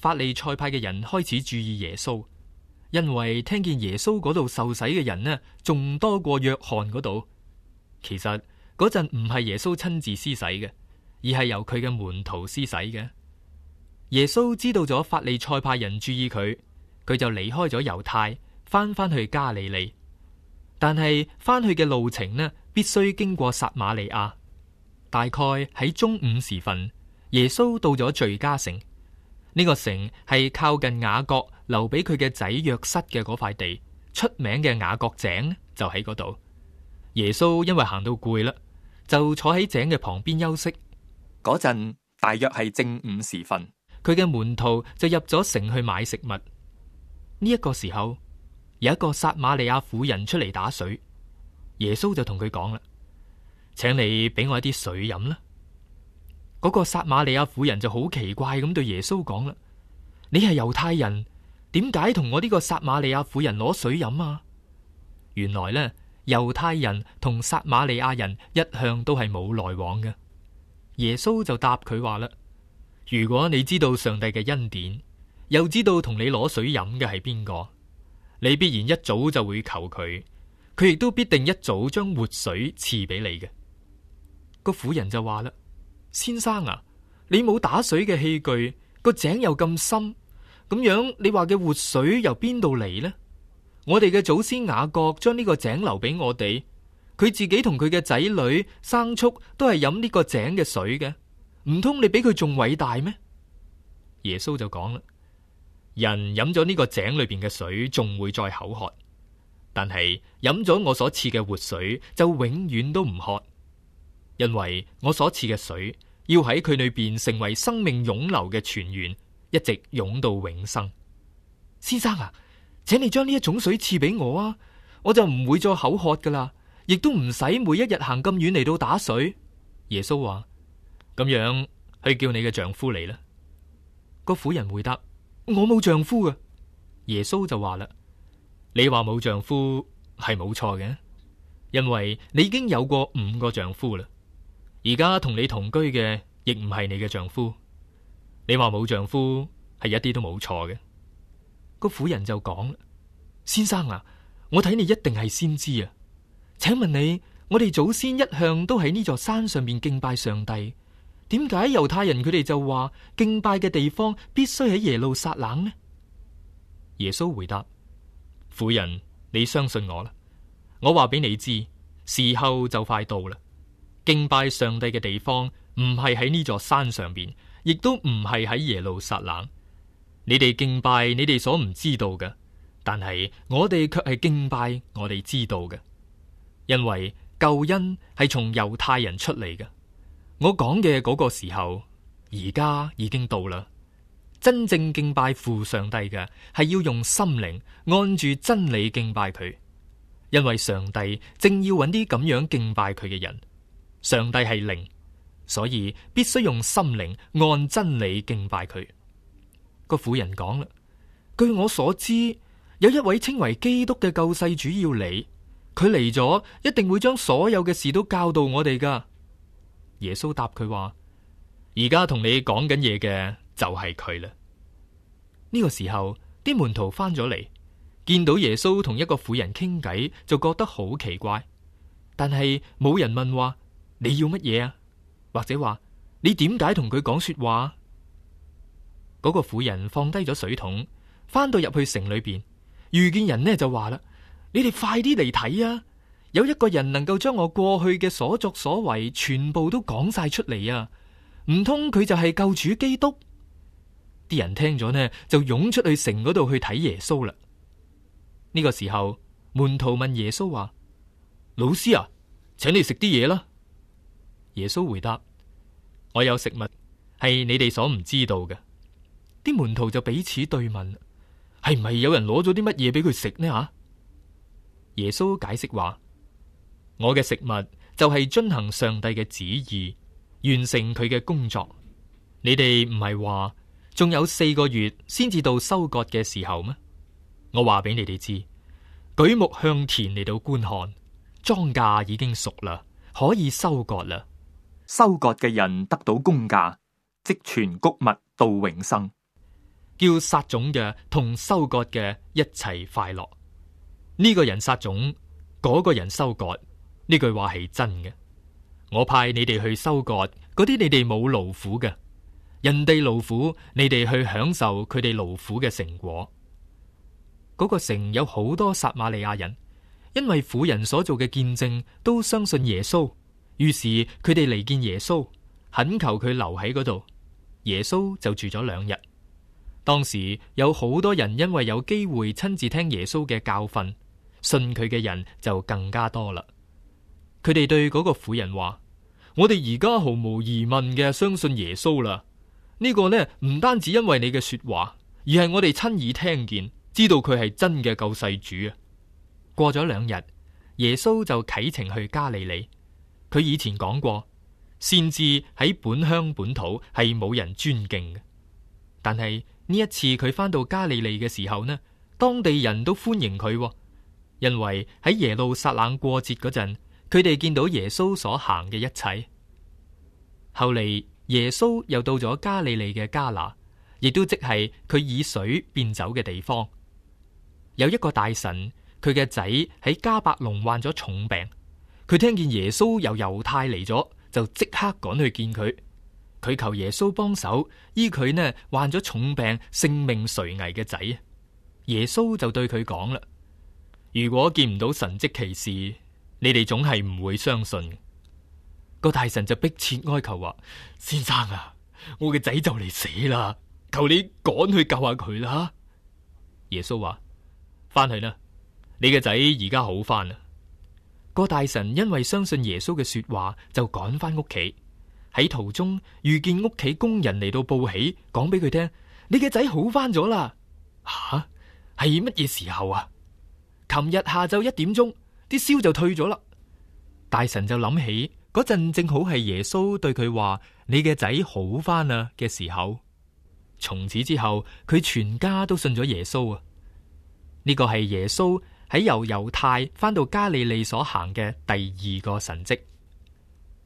法利賽派嘅人開始注意耶穌，因為聽見耶穌嗰度受洗嘅人呢，仲多過約翰嗰度。其實嗰陣唔係耶穌親自施洗嘅，而係由佢嘅門徒施洗嘅。耶穌知道咗法利賽派人注意佢，佢就離開咗猶太，翻去加利利。但係翻去嘅路程呢，必須經過撒瑪利亞。大概喺中午時分，耶穌到咗敘加城。呢個城係靠近雅各留俾佢嘅仔約瑟嘅嗰塊地，出名嘅雅各井就喺嗰度。耶穌因為行到攰啦，就坐喺井嘅旁邊休息。嗰陣大約係正午時分，佢嘅門徒就入咗城去買食物。呢一個時候，有一個撒瑪利亞婦人出嚟打水，耶穌就同佢講啦：請你俾我一啲水飲啦。嗰個撒瑪利亞婦人就好奇怪咁對耶穌講啦：你係猶太人，點解同我呢個撒瑪利亞婦人攞水飲啊？原來呢，猶太人同撒瑪利亞人一向都係冇來往嘅。耶穌就答佢話啦：如果你知道上帝嘅恩典，又知道同你攞水飲嘅係邊個，你必然一早就會求佢，佢亦都必定一早將活水賜俾你嘅。個婦人就話啦：先生啊，你冇打水嘅器具，個井又咁深，咁樣你話嘅活水由邊度嚟呢？我哋嘅祖先雅各將呢個井留俾我哋，佢自己同佢嘅仔女牲畜都係飲呢個井嘅水嘅，唔通你比佢仲偉大咩？耶穌就講啦：人飲咗呢個井裏邊嘅水，仲會再口渴，但係飲咗我所賜嘅活水，就永遠都唔渴。因為我所賜嘅水要喺佢裏邊成為生命湧流嘅泉源，一直湧到永生。先生啊，請你將呢一種水賜俾我啊，我就唔會再口渴噶啦，亦都唔使每一日行咁遠嚟到打水。耶穌話：咁樣去叫你嘅丈夫嚟啦。個婦人回答：我冇丈夫啊。耶穌就話啦：你話冇丈夫係冇錯嘅，因為你已經有過5個丈夫啦。而家同你同居嘅亦唔係你嘅丈夫，你話冇丈夫係一啲都冇錯嘅。個婦人就講：先生啊，我睇你一定係先知啊，請問你，我哋祖先一向都喺呢座山上面敬拜上帝，點解猶太人佢哋就話敬拜嘅地方必須喺耶路撒冷呢？耶穌回答：婦人，你相信我啦，我話俾你知，時候就快到啦。敬拜上帝嘅地方唔係喺呢座山上邊，亦都唔係喺耶路撒冷。你哋敬拜你哋所唔知道嘅，但係我哋卻係敬拜我哋知道嘅，因為救恩係從猶太人出嚟嘅。我講嘅嗰個時候，而家已經到啦。真正敬拜父上帝嘅，係要用心靈按住真理敬拜佢，因為上帝正要揾啲咁樣敬拜佢嘅人。上帝係靈，所以必須用心靈按真理敬拜佢。個婦人講啦：據我所知，有一位稱為基督嘅救世主要嚟，佢嚟咗一定會將所有嘅事都教導我哋噶。耶穌答佢話：而家同你講緊嘢嘅就係佢啦。呢個時候，啲門徒翻咗嚟，見到耶穌同一個婦人傾偈，就覺得好奇怪，但係冇人問話你要乜嘢啊？或者話你點解同佢講說話？嗰個婦人放低咗水桶，翻到入去城裏邊，遇見人呢就話啦：你哋快啲嚟睇啊！有一個人能夠將我過去嘅所作所為全部都講晒出嚟啊！唔通佢就係救主基督？啲人聽咗呢，就湧出去城嗰度去睇耶穌啦。呢個時候，門徒問耶穌話：老師啊，請你食啲嘢啦。耶穌回答：我有食物係你哋所唔知道嘅。啲門徒就彼此對問：係唔係有人攞咗啲乜嘢俾佢食呢？吓？耶穌解釋話：我嘅食物就係遵行上帝嘅旨意，完成佢嘅工作。你哋唔係話仲有4個月先至到收割嘅時候咩？我話俾你哋知，舉目向田嚟到觀看，莊稼已經熟啦，可以收割啦。收割嘅人得到工價，積存穀物到永生。叫撒種嘅同收割嘅一齊快樂。呢個人撒種，嗰個人收割，呢句話係真嘅。我派你哋去收割嗰啲你哋冇勞苦嘅，人哋勞苦，你哋去享受佢哋勞苦嘅成果。嗰個城有好多撒瑪利亞人，因為婦人所做嘅見證都相信耶穌，於是佢哋嚟見耶穌，懇求佢留喺嗰度。耶穌就住咗2日。當時有好多人因為有機會親自聽耶穌嘅教訓，信佢嘅人就更加多啦。佢哋對嗰個婦人話：我哋而家毫無疑問嘅相信耶穌啦。呢個呢，唔單止因為你嘅說話，而係我哋親耳聽見，知道佢係真嘅救世主啊。過咗2日，耶穌就啟程去加利利。佢以前講過，先知喺本鄉本土係冇人尊敬嘅，但係呢一次佢返到加利利嘅時候呢，當地人都歡迎佢，因為喺耶路撒冷過節嗰陣，佢哋見到耶穌所行嘅一切。後嚟耶穌又到咗加利利嘅迦拿，亦都即係佢以水變酒嘅地方。有一個大臣，佢嘅仔喺迦百農患咗重病，佢聽見耶穌由猶太嚟咗，就即刻趕去見佢。佢求耶穌幫手醫佢呢患咗重病、性命垂危嘅仔。耶穌就對佢講啦：如果見唔到神蹟奇事，你哋總係唔會相信。個大臣就迫切哀求話：先生啊，我嘅仔就嚟死啦，求你趕去救下佢啦。耶穌話：翻去啦，你嘅仔而家好翻啦。個大臣因為相信耶穌嘅說話，就趕翻屋企。喺途中遇見屋企工人嚟到報喜，講俾佢聽：你嘅仔好翻咗啦。吓，係乜嘢時候啊？琴日下晝1點鐘，啲燒就退咗啦。大臣就諗起嗰陣正好係耶穌對佢話：你嘅仔好翻啦嘅時候。從此之後，佢全家都信咗耶穌啊。呢個係耶穌喺由猶太翻到加利利所行嘅第2個神蹟。